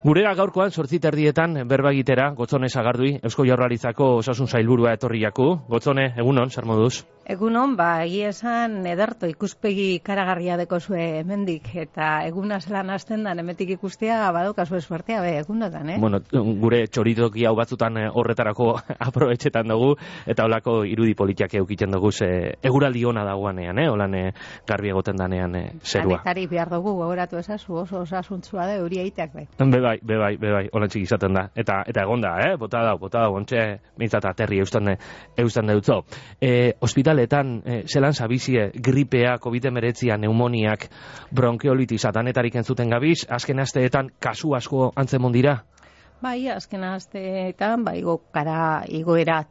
Gurera gaurkoan 8:30 berba egitera Gotzone Sagardui, Eusko Jaurlaritzako Osasun Sailburua etorri jaku. Gotzone, egunon, zer moduz? Egunon, egia esan ederto ikuspegi ikaragarria dekozue hemendik eta eguna zelan hasten da hemetik ikustea badaukazu suertea egunotan, Bueno, gure txoritoki hau batzutan horretarako aprobetxetan dugu eta holako irudi politiak eukiten dugu eguraldi ona dagoanean, holan garbi egoten danean zerua. Anetari behar dugu gogoratu ezazu oso osasuntsua da euria iteak Bai, holantzik izaten da. Eta egonda, bota dau, ontxe mintzat aterri eusten deutzo. Hospitaletan, zelan zabizie, gripea, COVID-19, neumoniak, bronkiolitis, atanetarik entzuten gabiz, azken asteetan kasu asko antzemon dira? Bai, azken asteetan, igoera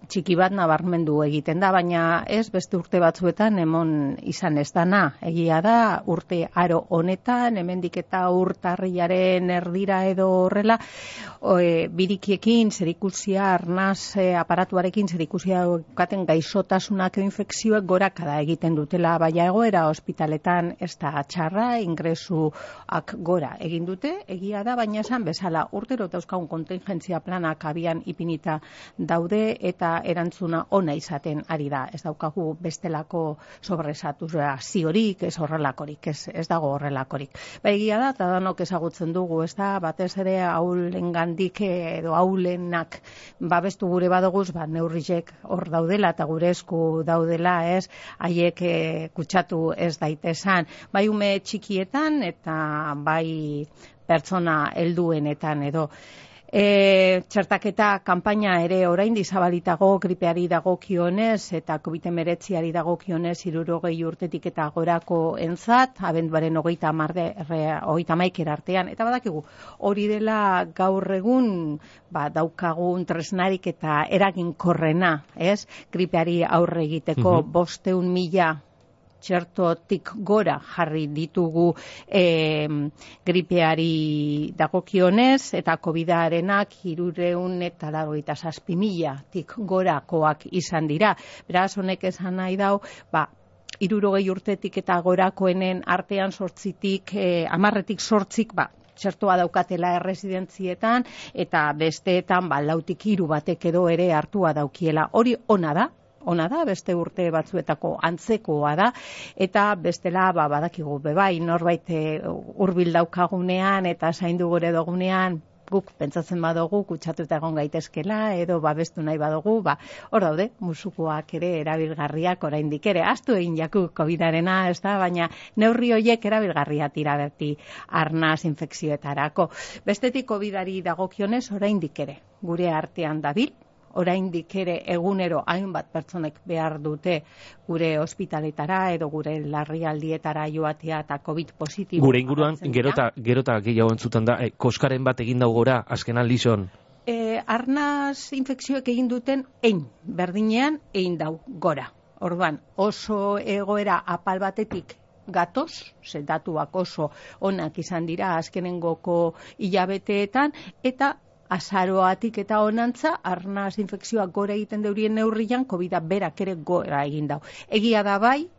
txiki bat nabarmendu egiten da, baina ez beste urte batzuetan emon izan ez dana. Egia da, urte aro honetan, hemendik eta urtarriaren erdira edo horrela, birikiekin, zerikusia, arnaz aparatuarekin, zerikusia katen gaixotasunak infekzioek gorakada egiten dutela, baina egoera ospitaletan ez da txarra, ingresuak gora egin dute, egia da, baina esan bezala, urtero dauzkagun kontingentzia planak abian ipinita daude, eta erantzuna ona izaten ari da. Ez daukagu bestelako sobresaturaziorik, ez horrelakorik, ez dago horrelakorik. Egia da, eta danok ezagutzen dugu, ez da, batez ere aulengandik edo aulenak babestu gure badoguz, neurriek hor daudela eta gure esku daudela, ez, haiek kutsatu ez daitezan. Bai ume txikietan eta bai pertsona helduenetan edo. Txertaketa kanpaina ere oraindik zabalitago gripeari dagokionez eta COVID-19ari dagokionez 60 urtetik eta gorako entzat, abenduaren 30 artean, eta badakigu hori dela gaur egun daukagun tresnarik eta eraginkorrena, ez? Gripeari aurre egiteko 500.000 txertotik gora jarri ditugu gripeari dagokionez eta COVID-arenak 387.000tik gorakoak izan dira. Beraz, honek esan nahi dau, 60 urtetik eta gorakoenen artean 10-tik 8 txertoa daukatela erresidentzietan eta besteetan 4-3 batek edo ere hartua daukiela. Hori ona da, beste urte batzuetako antzekoa da, eta bestela badakigu bai, norbait hurbil daukagunean eta zaindu gure dugunean, guk pentsatzen badugu kutsatuta egon gaitezkela edo babestu nahi badugu, hor daude, musukoak ere erabilgarriak oraindik ere, astu egin jaku COVID-arena, ez da, baina neurri horiek erabilgarria tira berti arnaz infekzioetarako. Bestetik COVID-ari dagokionez oraindik ere gure artean dabil, oraindik ere egunero hainbat pertsonek behar dute gure ospitaletara edo gure larrialdietara joatea eta COVID positibo. Gure inguruan gerota gehiago entzuten da, koskaren bat egin dau gora, azken aldizon? Arnaz infekzioek egin duten berdinean egin dau gora. Orduan, oso egoera apal batetik gatoz, datuak oso onak izan dira azkenengoko hilabeteetan, eta azaroatik eta honantza, arnaz infekzioak gora egiten deurien neurrian, COVID-a berak ere gora egin dau. Egia da bai,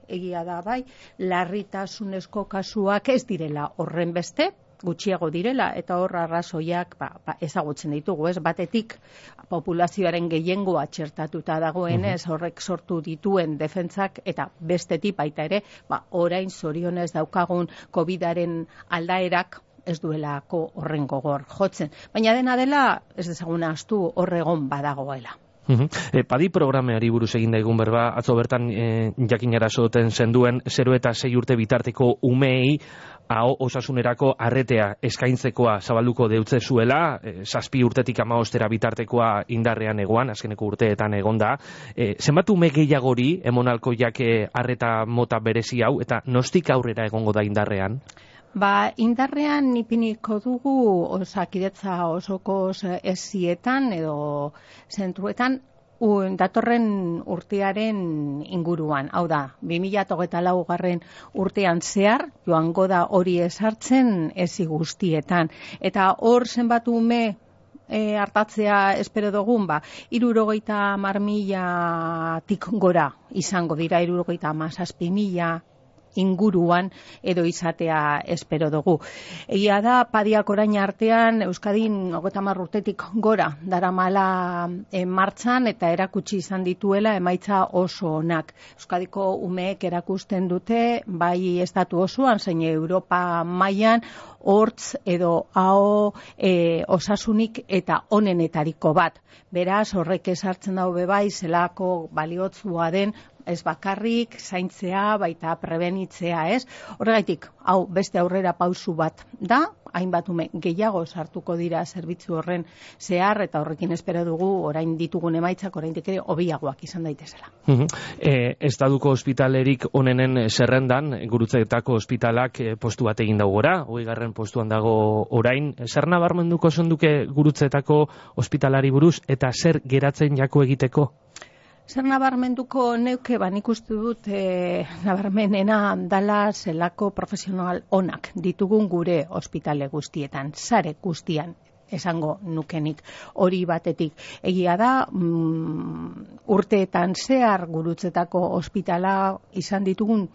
larritasunezko kasuak ez direla horren beste, gutxiago direla, eta hor arrazoiak ezagutzen ditugu, ez? Batetik, populazioaren gehiengoa txertatuta dagoenez, horrek sortu dituen defentsak, eta bestetik baita ere, orain zorionez daukagun COVID-aren aldaerak ez duelako horren gogor jotzen. Baina dena dela, ez dezaguna astu horregon badagoela. Padi programeari buruz egin daigun berba, atzo bertan jakinara soten zenduen 0 eta 6 urte bitarteko umeei osasunerako arretea eskaintzekoa zabalduko deutze zuela, 7 urtetik 15 bitartekoa indarrean egoan, azkeneko urteetan egonda. Zenbat ume gehiagori emonalko jake arreta mota berezi hau, eta nostik aurrera egongo da indarrean? Indarrean ipiniko dugu Osakidetza osoko esietan edo zentruetan datorren urtearen inguruan. Hau da, 2024 urtean zehar, joango da hori ezartzen ezi guztietan. Eta hor zenbat ume hartatzea espero dugun, 70.000tik gora izango dira, 77.000 inguruan edo izatea espero dugu. Egia da, Padiak orain artean Euskadin 30 urtetik gora daramala martxan eta erakutsi izan dituela emaitza oso onak. Euskadiko umeek erakusten dute, bai estatu osoan, zein Europa mailan, hortz edo aho osasunik eta onenetariko bat. Beraz, horrek esartzen dau bebai, zelako baliotsua den, ez bakarrik, zaintzea, baita prebenitzea, ez? Horregaitik, hau beste aurrera pausu bat da, hainbat ume gehiago sartuko dira zerbitzu horren zehar, eta horrekin espero dugu orain ditugun emaitzak oraindik ere hobiagoak izan daitezela. Estaduko ospitalerik onenen zerrendan, Gurutzetako ospitalak postu bat egin dago gora, 20. postuan dago orain. Zer nabarmenduko zenduke Gurutzetako ospitalari buruz, eta zer geratzen jako egiteko? Zer nabarmenduko neuke, nik uste dut nabarmenena dala zelako profesional onak ditugun gure ospitale guztietan, sare guztian esango nukenik hori batetik. Egia da, urteetan zehar Gurutzetako ospitala izan ditugun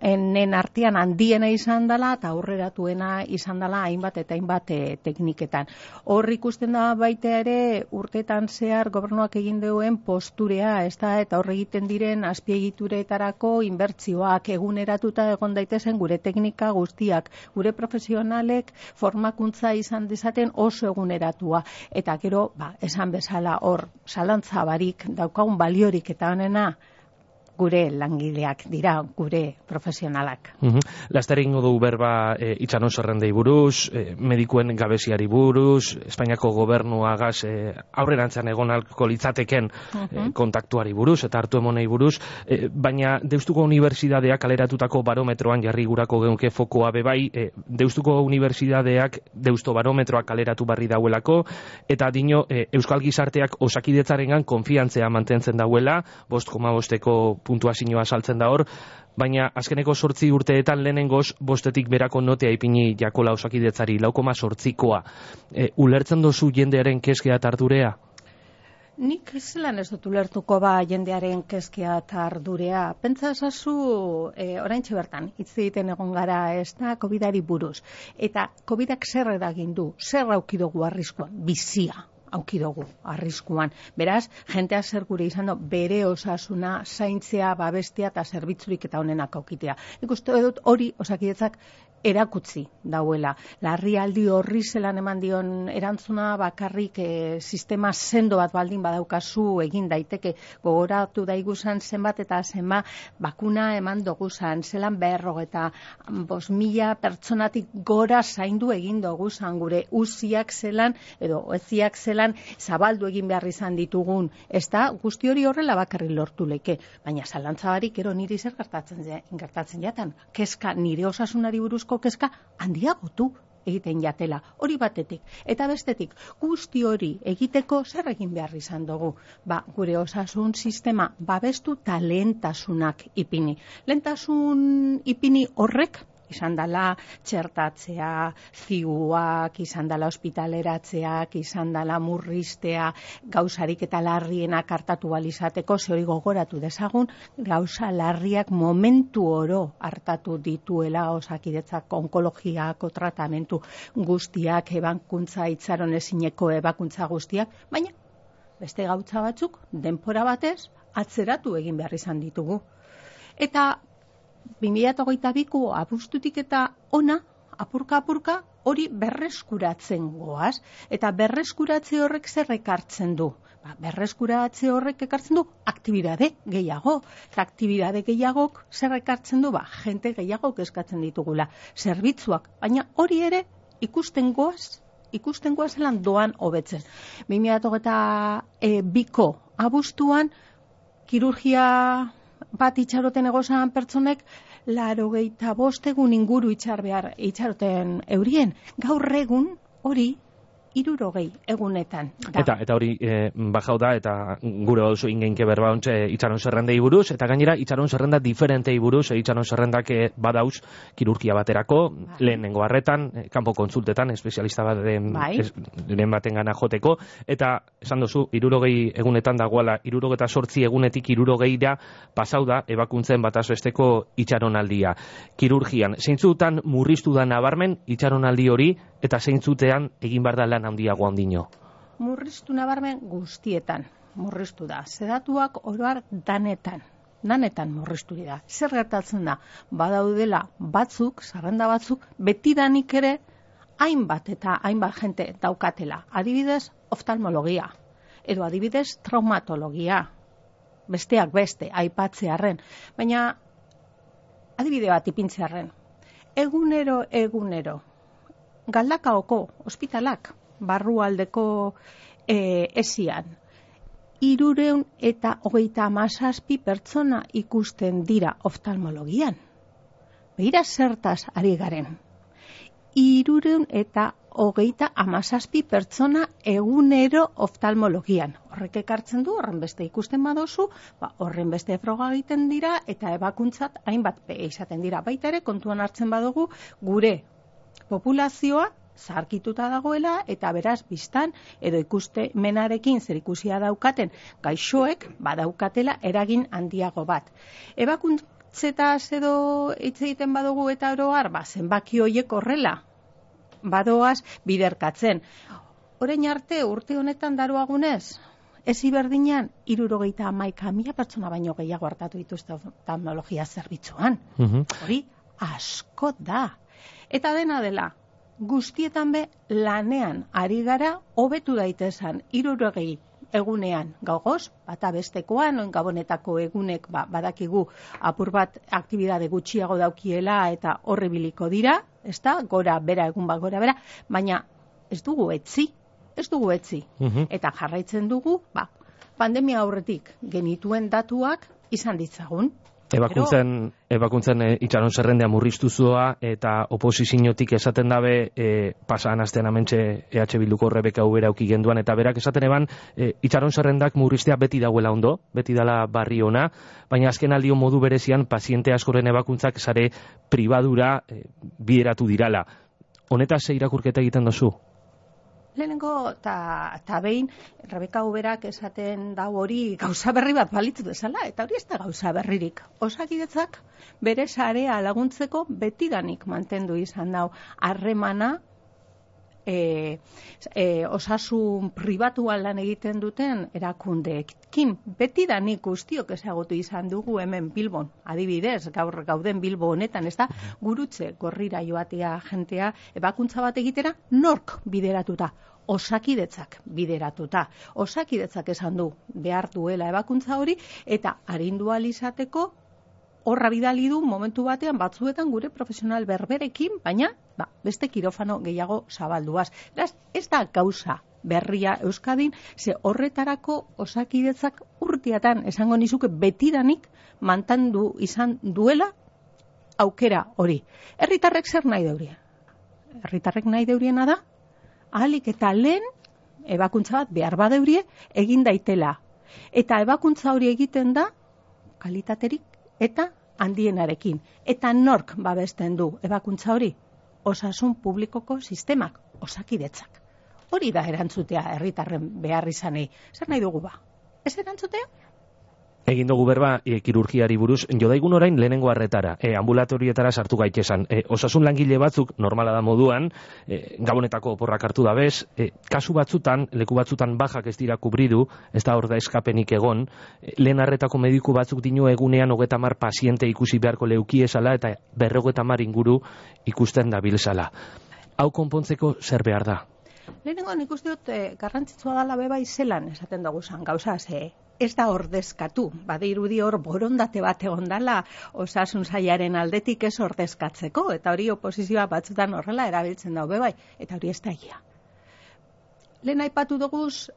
enen artean handiena izan dela eta aurreratuena izan dela hainbat eta hainbat tekniketan. Hor ikusten da baita ere urteetan zehar gobernuak egin duen posturea, eta hor egiten diren azpiegituretarako inbertsioak eguneratuta egon daitezen gure teknika guztiak, gure profesionalek formakuntza izan dezaten oso eguneratua. Eta gero, esan bezala hor zalantza barik daukagun baliorik eta honena gure langileak dira, gure profesionalak. Laster egingo dugu berba Itxaron zerrendei buruz, medikuen gabeziari buruz, Espainiako gobernuagaz aurrerantzean egon ahalko litzateken kontaktuari buruz eta hartu emonei buruz, baina Deustuko Unibertsitateak kaleratutako barometroan jarri gurako geunke fokoa bebai, Deustuko Unibertsitateak Deusto barometroak kaleratu barri dauelako, eta dino Euskal Gizarteak Osakidetzarengan konfiantzea mantentzen dauela, 5,5 puntuazioa saltzen da hor, baina azkeneko 8 urteetan lehenengoz 5 berako notea ipini jakola Osakidetzari, 4,8koa. Ulertzen dozu jendearen keskea eta ardurea? Nik zelan ez dut ulertuko jendearen keskea eta ardurea. Pentsa ezazu, oraintxe bertan, hitz egiten egon gara ez da COVID-ari buruz. Eta COVID-ak zer eragin du, zer aukidugu arriskuan, bizia aukidugu arriskuan. Beraz, jentea zer gure izan du, bere osasuna, zaintzea, babestea eta zerbitzurik eta honenak aukitea. Nik uste dut hori Osakidetzak erakutzi dauela. Larrialdi horri zelan eman dion erantzuna bakarrik sistema sendo bat baldin badaukazu egin daiteke. Gogoratu daiguzan zenbat eta zenbat bakuna eman doguzan, zelan 45.000 pertsonatik gora zaindu egin doguzan, gure uziak zelan edo eziak zelan zabaldu egin behar izan ditugun. Ez da, guzti hori horrela bakarrik lortu leke. Baina zalantzabarik ero niri zer gertatzen jatan. Kezka, nire osasunari buruzko kezka handiagotu egiten jatela, hori batetik. Eta bestetik, guzti hori egiteko zer egin behar izan dugu. Gure osasun sistema babestu eta lehentasunak ipini. Lehentasun ipini horrek izan dela txertatzea, ziguak, izan dela ospitaleratzeak, izan dela murriztea, gauzarik eta larrienak hartatu balizateko, ze hori gogoratu dezagun, gauza larriak momentu oro hartatu dituela Osakidetzak onkologiako tratamentu guztiak, ebakuntza itxaron ezineko ebakuntza guztiak, baina beste gautza batzuk denbora batez atzeratu egin behar izan ditugu. Eta 2022ko abuztutik eta ona, apurka hori berreskuratzen goaz. Eta berreskuratze horrek zer ekartzen du? Berreskuratze horrek ekartzen du aktibidade gehiago. Eta aktibidade gehiagok zer ekartzen du? Jente gehiagok eskatzen ditugula. Zerbitzuak, baina hori ere ikusten goaz zelan doan hobetzen. 2022ko abuztuan kirurgia bat itxaroten egozan pertsonek 85 egun inguru itxaroten eurien. Gaur egun hori 60 egunetan da. Eta hori bajau da, eta gure oso ingeinke berba ontxe itxaron zerrendei buruz, eta gainera itxaron zerrenda diferentei buruz, itxaron zerrendak badauz kirurgia baterako, lehenengo harretan, kanpo kontsultetan, espezialista baten baten gana joteko, eta esan duzu, 60 egunetan dagoela, 68 egunetik 60ra pasau da, ebakuntzen batazbesteko itxaronaldia. Kirurgian, zeintzutan murriztu da nabarmen itxaronaldi hori, eta zeintzutean egin behar da lan handiago handino? Murriztu nabarmen guztietan murriztu da. Sedatuak oroar danetan murriztu dira. Zer gertatzen da? Badaudela batzuk, zerrenda batzuk, betidanik ere hainbat jente daukatela. Adibidez, oftalmologia, edo adibidez, traumatologia, besteak beste, aipatzearren. Baina, adibide bat ipintzearren, egunero, Galdakaoko ospitalak, barrualdeko esian, 337 pertsona ikusten dira oftalmologian. Begira zertaz ari garen. 337 pertsona egunero oftalmologian. Horrek ekartzen du, horren beste ikusten badozu, horren beste froga egiten dira, eta ebakuntzat hainbat izaten dira. Baita ere, kontuan hartzen badugu, gure populazioa zaharkituta dagoela, eta beraz biztan edo ikuste menarekin zerikusia daukaten gaixoek badaukatela eragin handiago bat. Ebakuntzetaz edo hitz egiten badugu eta oroar, zenbaki horiek horrela badoaz biderkatzen. Orain arte urte honetan daroagunez, ezi berdinean 71.000 pertsona baino gehiago hartatu dituzte oftalmologia zerbitzuan. Hori asko da. Eta dena dela, guztietan be lanean ari gara hobetu daitezan 60 egunean gaugoz, bata bestekoan, oin gabonetako egunek badakigu apur bat aktibidade gutxiago daukiela eta horribiliko dira, ezta, gora bera, egun bat gora bera, baina ez dugu etzi. Eta jarraitzen dugu, pandemia aurretik genituen datuak izan ditzagun. Ebakuntzen itxaron zerrendea murriztuzua eta oposiziotik esaten dabe pasan astean amentxe EH Bilduko Rebeka Ubera auki genduan, eta berak esaten eban itxaron zerrendak murriztea beti dagoela ondo, beti dala barri ona, baina azken aldio modu berezian paziente askoren ebakuntzak sare pribadura bideratu dirala. Honetaz ze irakurketa egiten dozu? Lehenengo eta behin Rebeka Uberak esaten dau hori gauza berri bat balitzu bezala, eta hori ez da gauza berririk. Osakidetzak bere sarea laguntzeko betidanik mantendu izan dau harremana osasun pribatuan lan egiten duten erakundeekin. Betidanik guztiok ezagutu izan dugu hemen Bilbon, adibidez, gaur gauden Bilbo honetan, ez da, gurutze gorrira joatea jentea ebakuntza bat egitera nork bideratuta? Osakidetzak bideratuta. Osakidetzak esan du behar duela ebakuntza hori, eta arindu ahal izateko horra bidali du momentu batean batzuetan gure profesional berberekin, baina beste kirofano gehiago zabalduaz. Ez da gauza berria Euskadin, ze horretarako osakidetzak urteatan esango nizuke betidanik mantendu izan duela aukera hori. Herritarrek zer nahi deurie? Herritarrek nahi deuriena da, ahalik eta lehen ebakuntza bat behar badeurie egin daitela. Eta ebakuntza hori egiten da kalitaterik eta handienarekin. Eta nork babesten du ebakuntza hori? Osasun publikoko sistemak, osakidetzak. Hori da erantzutea herritarren behar izanei. Zer nahi dugu ba? Ez erantzutea? Egin dugu berba kirurgiari buruz, jodaigun orain lehenengo harretara, ambulatorietara sartu gaitesan. Osasun langile batzuk, normala da moduan, gabonetako oporrak hartu da bez, kasu batzutan, leku batzutan bajak ez dira kubridu, ez da hor da eskapenik egon, lehen harretako mediku batzuk dino egunean 30 paziente ikusi beharko leukiesala eta 50 inguru ikusten dabilzala. Hau konpontzeko zer behar da? Lehenengo nik uste dut garrantzitsua dala bebai zelan esaten dugu zan gauza, ez da ordezkatu, badirudi hor borondate bat egon dala osasun sailaren aldetik ez ordezkatzeko, eta hori oposizioa batzutan horrela erabiltzen dau bebai, eta hori ez da egia. Lehen aipatu duguz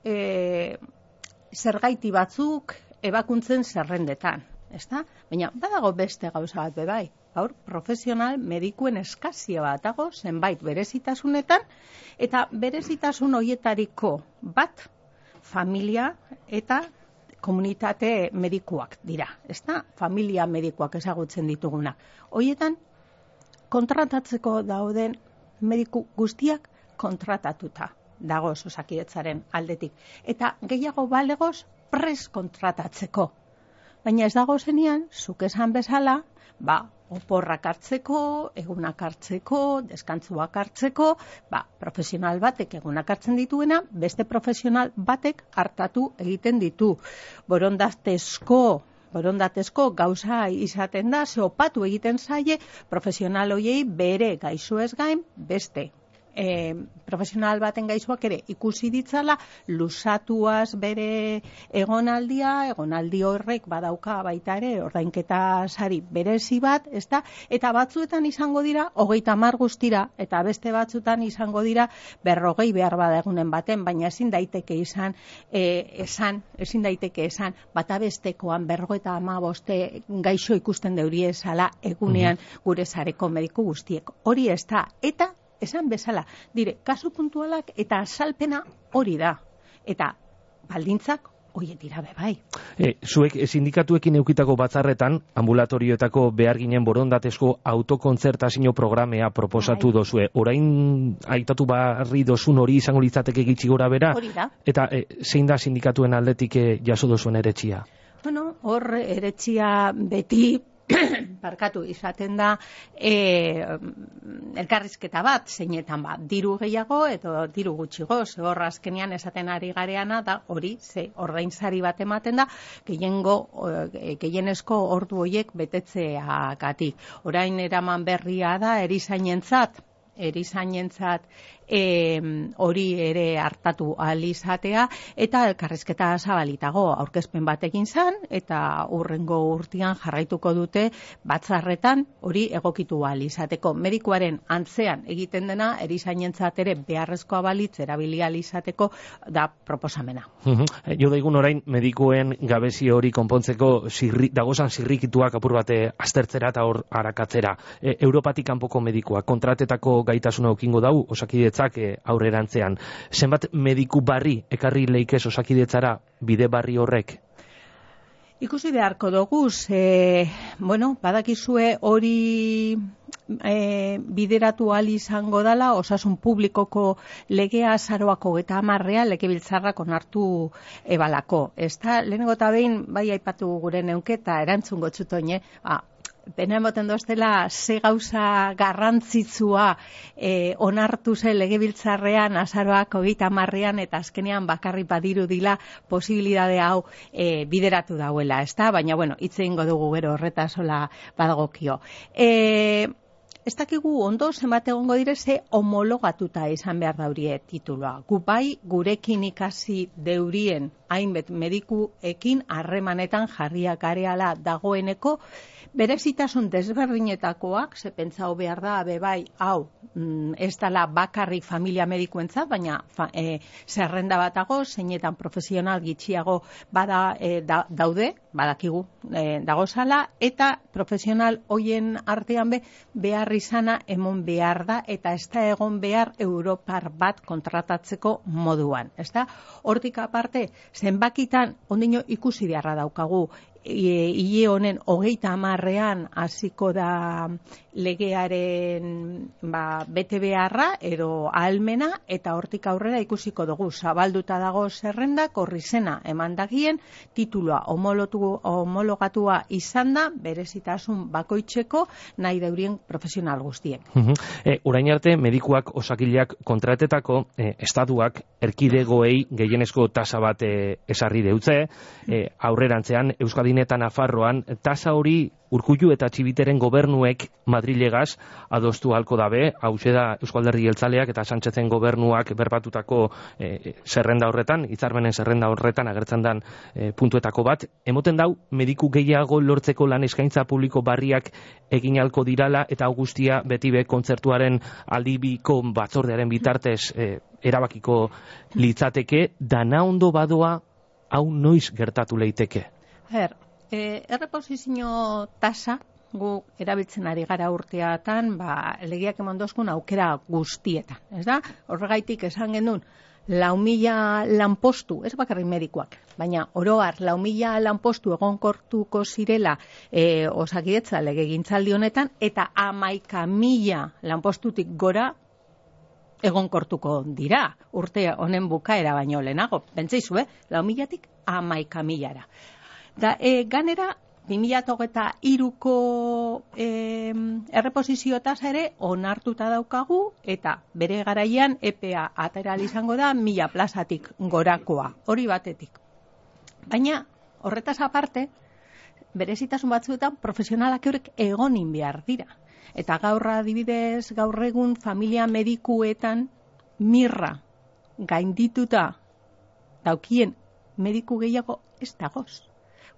zergaiti batzuk ebakuntzen zerrendetan, ezta? Baina badago beste gauza bat bebai, gaur profesional medikuen eskazia bat dago zenbait berezitasunetan, eta berezitasun horietariko bat familia eta komunitate medikuak dira, ezta? Familia medikuak ezagutzen ditugunak. Horietan kontratatzeko dauden mediku guztiak kontratatuta dagoz Osakidetzaren aldetik. Eta gehiago balegoz pres kontratatzeko. Baina ez dago zenean, zuk esan bezala, oporrak hartzeko, egunak hartzeko, deskantzuak hartzeko, profesional batek egunak hartzen dituena, beste profesional batek hartatu egiten ditu. Borondatezko gauza izaten da, ze opatu egiten zaie, profesional hoiei bere gaixoez gain, beste profesional baten gaixoak ere ikusi ditzala, luzatuaz bere egonaldi horrek badauka baita ere ordainketa sari berezi bat, ezta? Eta batzuetan izango dira 30 guztira, eta beste batzuetan izango dira 40 behar bada egunen baten, baina ezin daiteke esan bata bestekoan 55 gaixo ikusten deurie esala egunean gure sareko mediku guztiek. Hori ez da, eta esan bezala, dire, kasu puntualak eta azalpena hori da. Eta baldintzak horiek dira bebai. Zuek sindikatuekin eukitako batzarretan, ambulatorioetako behar ginen borondatezko autokontzertazio programea proposatu dozue. Orain aitatu barri dozun hori izango litzateke gitxi gora bera? Hori da. Eta zein da sindikatuen aldetik jaso dozuen eretxia? Bueno, hor eretxia beti barkatu izaten da elkarrizketa bat, zeinetan diru gehiago edo diru gutxigo, hor azkenean esaten ari gareana da hori, ordainsari bat ematen da gehienezko ordu horiek betetzeagatik. Orain eraman berria da erizainentzat hori ere hartatu ahal izatea, eta elkarrizketa zabalitago aurkezpen bat egin zan, eta hurrengo urtean jarraituko dute batzarretan hori egokitu ahal izateko. Medikuaren antzean egiten dena, erizainentzat ere beharrezkoa balitz erabili ahal izateko da proposamena. Jo daigun orain medikuen gabezi hori konpontzeko dagozan zirrikituak apur bate aztertzera eta hor arakatzera. Europatik kanpoko medikuak kontratetako gaitasuna ukingo dau Osakidetzak aurrerantzean. Zenbat mediku barri ekarri leikez Osakidetzara bide barri horrek? Ikusi beharko dugu, badakizue hori bideratu ahal izango dela osasun publikoko legea azaroak 30 legebiltzarrak onartu ebalako. Lehenengo eta behin, bai aipatu gure neunketa erantzun gotzutoin, pena emoten doztela ze gauza garrantzitsua onartu ze legebiltzarrean azaroak 30 eta azkenean bakarri badiru dila posibilidade hau bideratu dauela, ezta? Baina, hitz egingo dugu gero horretasola badagokio. Ez dakigu ondo zenbat egongo dire ze homologatuta izan behar daurie tituloa. Bai gurekin ikasi deurien hainbet medikuekin harremanetan jarriak gareala dagoeneko, berezitasun desberdinetakoak, ze pentsau behar da, bai, hau, ez dela bakarrik familia medikuentzat, baina zerrenda batago, zeinetan profesional gitxiago daude, badakigu dagozala, eta profesional hoien artean behar izana emon behar da, eta ez da egon behar Europar bat kontratatzeko moduan. Hortik aparte, zenbakitan ondino ikusi beharra daukagu, hile honen 30 hasiko da legearen bete beharra edo ahalmena, eta hortik aurrera ikusiko dugu zabalduta dago zerrendak horri zena emandagien tituloa homologatua izan da berezitasun bakoitzeko nahi deurien profesional guztiek. Orain arte medikuak osakileak kontratetako estatuak erkidegoei gehienezko tasa bat esarri deutze, aurrerantzean Euskadin eta Nafarroan tasa hori Urkullu eta Txibiteren gobernuek Madrilegaz adostu halko dabe, hauxe da Eusko Alderdi Jeltzaleak eta Sánchezen gobernuak berbatutako zerrenda horretan, hitzarmenen zerrenda horretan agertzen dan puntuetako bat. Emoten dau, mediku gehiago lortzeko lan eskaintza publiko barriak egin halko dirala, eta guztia beti kontzertuaren aldibiko batzordearen bitartez erabakiko litzateke, dana ondo badoa hau noiz gertatu leiteke? Erreposizio tasa gu erabiltzen ari gara urteatan, legeak emandozkun aukera guztietan, ez da? Horregaitik esan genuen, 4.000 lanpostu, ez bakarrik medikuak, baina oroar 4.000 lanpostu egonkortuko zirela Osakidetza legegintzaldi honetan, eta 11.000 lanpostutik gora egonkortuko dira, urte honen bukaera baino lehenago. Bentseizu, 4.000-tik 11.000-ara. Da, ganera, 2023ko erreposizio tasa ere onartuta daukagu, eta bere garaian EPA atera izango da 1.000 plazatik gorakoa, hori batetik. Baina, horretaz aparte, berezitasun batzuetan profesionalak eurek egonin behar dira. Eta gaur adibidez, gaur egun familia medikuetan mirra gaindituta daukien mediku gehiago ez dagoz.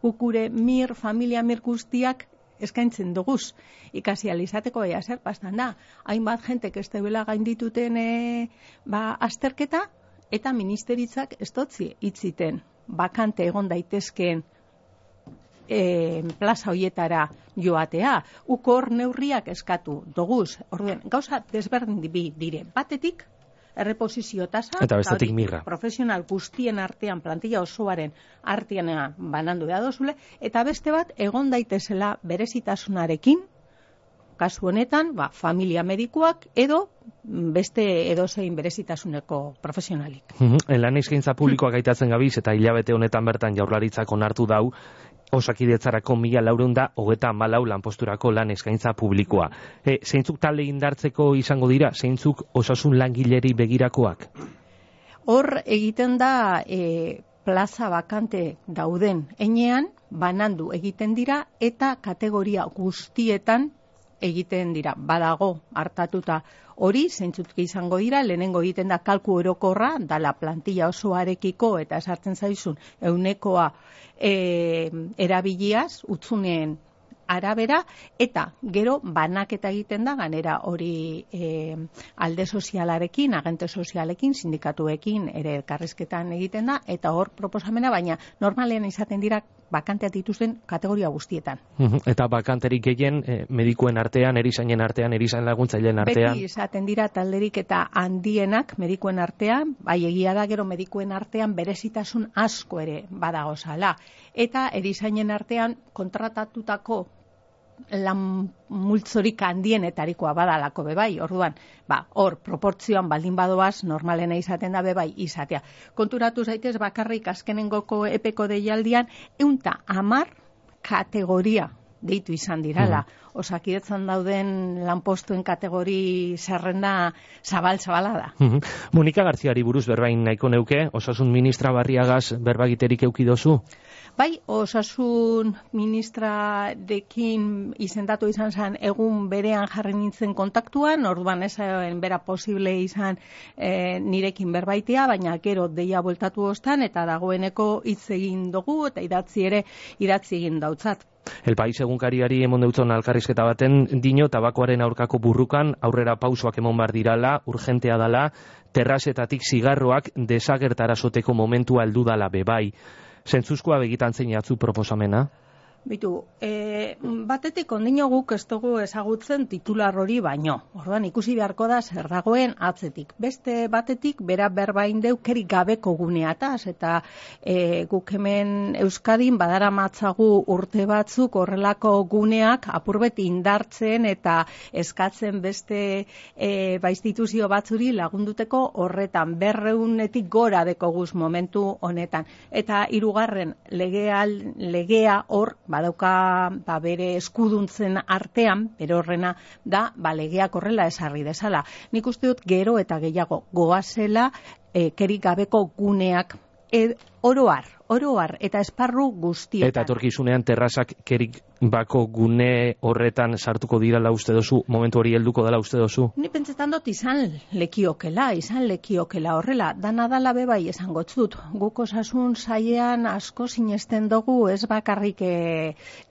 Gukure familia mir guztiak eskaintzen duguz. Ikasi alizateko ea zer pastan da. Hainbat jentek ez debela gaindituten azterketa, eta ministeritzak ez dotzi itziten bakante egon daitezkeen plaza hoietara joatea. Ukor neurriak eskatu doguz. Orduen, gauza desberdin dire. Batetik, erreposizio tasa, eta bestetik mirra. Profesional guztien artean, plantilla osoaren artean banandu da dozule, eta beste bat, egon daitezela berezitasunarekin, kasu honetan, familia medikuak edo beste edozein berezitasuneko profesionalik. Lan eskaintza publikoak gaitatzen gabiz, eta hilabete honetan bertan Jaurlaritzak onartu dau, Osakidetzarako 1.434 lanposturako lan eskaintza publikoa. Zeintzuk talde indartzeko izango dira? Zeintzuk osasun langileri begirakoak? Hor egiten da plaza bakante dauden enean, banandu egiten dira, eta kategoria guztietan egiten dira. Badago hartatuta hori, zeintzuk izango dira, lehenengo egiten da kalku orokorra, dala plantilla osoarekiko, eta esartzen zaizun, eunekoa erabiliaz, utzuneen arabera, eta gero banaketa egiten da, ganera hori alde sozialarekin, agente sozialekin, sindikatuekin ere elkarrizketan egiten da, eta hor proposamena, baina normalean izaten dira bakanteak dituzten kategoria guztietan. Eta bakanterik gehien medikuen artean, erizainen artean, erizain laguntzaileen artean? Beti izaten dira talderik eta handienak medikuen artean, bai egia da gero medikuen artean berezitasun asko ere badagozala. Eta erizainen artean kontratatutako lan multzorik handienetarikoa badalako bebai, orduan, hor proportzioan baldin badoaz, normalena izaten da bebai izatea. Konturatu zaitez bakarrik azkenengoko epeko deialdian, 110 kategoria deitu izan dirala. Osakidetzan dauden lanpostuen kategori zerrenda zabal-zabala da. Monika Garziari buruz berbain nahiko neuke, osasun ministra Barriagaz berbagiterik eukidozu? Bai, osasun ministrarekin izendatu izan zen egun berean jarri nintzen kontaktuan, orduan ezen bera posible izan nirekin berbaitea, baina gero deia bueltatu ostan, eta dagoeneko hitz egin dugu, eta idatzi egin dautzat. El País egunkariari emon deutzon alkarrizketa baten dino tabakoaren aurkako burrukan aurrera pausoak emon bar dirala, urgentea dala, terrazetatik zigarroak desagertarazoteko momentua heldu dala bebai. Zentzuzkoa begitan zein atzu proposamena? Bitu, batetik ondino guk ez dugu ezagutzen titular hori baino. Orduan ikusi beharko da zer dagoen atzetik. Beste batetik bera berbain deukerik gabeko guneataz, eta guk hemen Euskadin badara matzagu urte batzuk horrelako guneak apurbet indartzen eta eskatzen beste instituzio batzuri lagunduteko horretan 200-etik gora dekoguz momentu honetan. Eta hirugarren legea hor badauka bere eskuduntzen artean, bere horrena da legeak horrela esarri dezala. Nik uste dut gero eta gehiago goazela kerik gabeko guneak oroar eta esparru guztietan. Eta etorkizunean terrazak kerik bako gune horretan sartuko dirala uste dozu, momentu hori helduko dela uste dozu? Ni pentsetan dut izan lekiokela horrela, dana dala bebai esango txut. Guk osasun sailean asko sinesten dugu ez bakarrik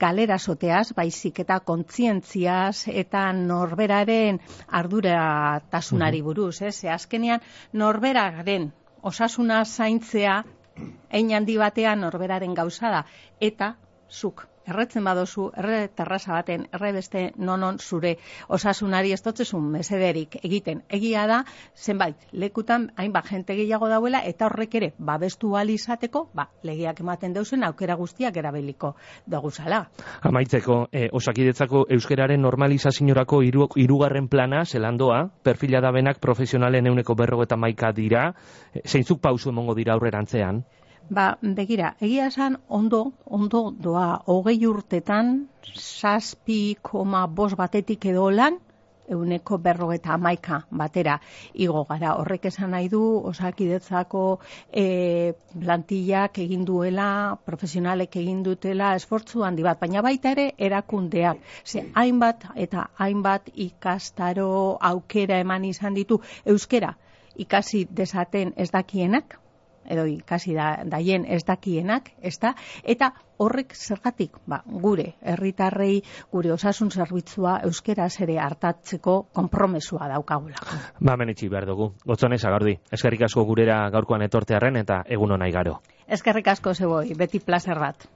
galera soteaz, baizik eta kontzientziaz eta norberaren arduratasunari buruz. Ze azkenean norberaren osasuna zaintzea hein handi batean norberaren gauza da, eta zuk erretzen badozu, erre terraza baten, erre beste nonon zure osasunari ez dotzezun mesederik egiten. Egia da, zenbait, lekutan hainbat jente gehiago dauela, eta horrek ere, babestu izateko, legeak ematen deusen aukera guztiak erabiliko doguzala. Amaitzeko, Osakidetzako euskeraren normalizaziorako hirugarren plana, zelandoa, perfila da benak profesionalen 151 dira, zeintzuk pausu emongo dira aurrerantzean? Begira, egia esan ondo doa 20 urtetan 7,5 batetik edo lan 151 batera igo gara. Horrek esan nahi du Osakidetzako plantillak egin duela, profesionalek egin dutela esfortzu handi bat, baina baita ere erakundeak. Hainbat eta hainbat ikastaro aukera eman izan ditu euskera ikasi dezaten ez dakienak, edo ikasi daien ez dakienak, ezta? Eta horrek zergatik, gure herritarrei, gure osasun zerbitzua euskeraz ere hartatzeko konpromesua daukagula. Menitxi behar dugu. Gotzone Sagardui, eskerrik asko gurera gaurkoan etortearren eta egun ona igaro. Eskerrik asko zeboi, beti plazer bat.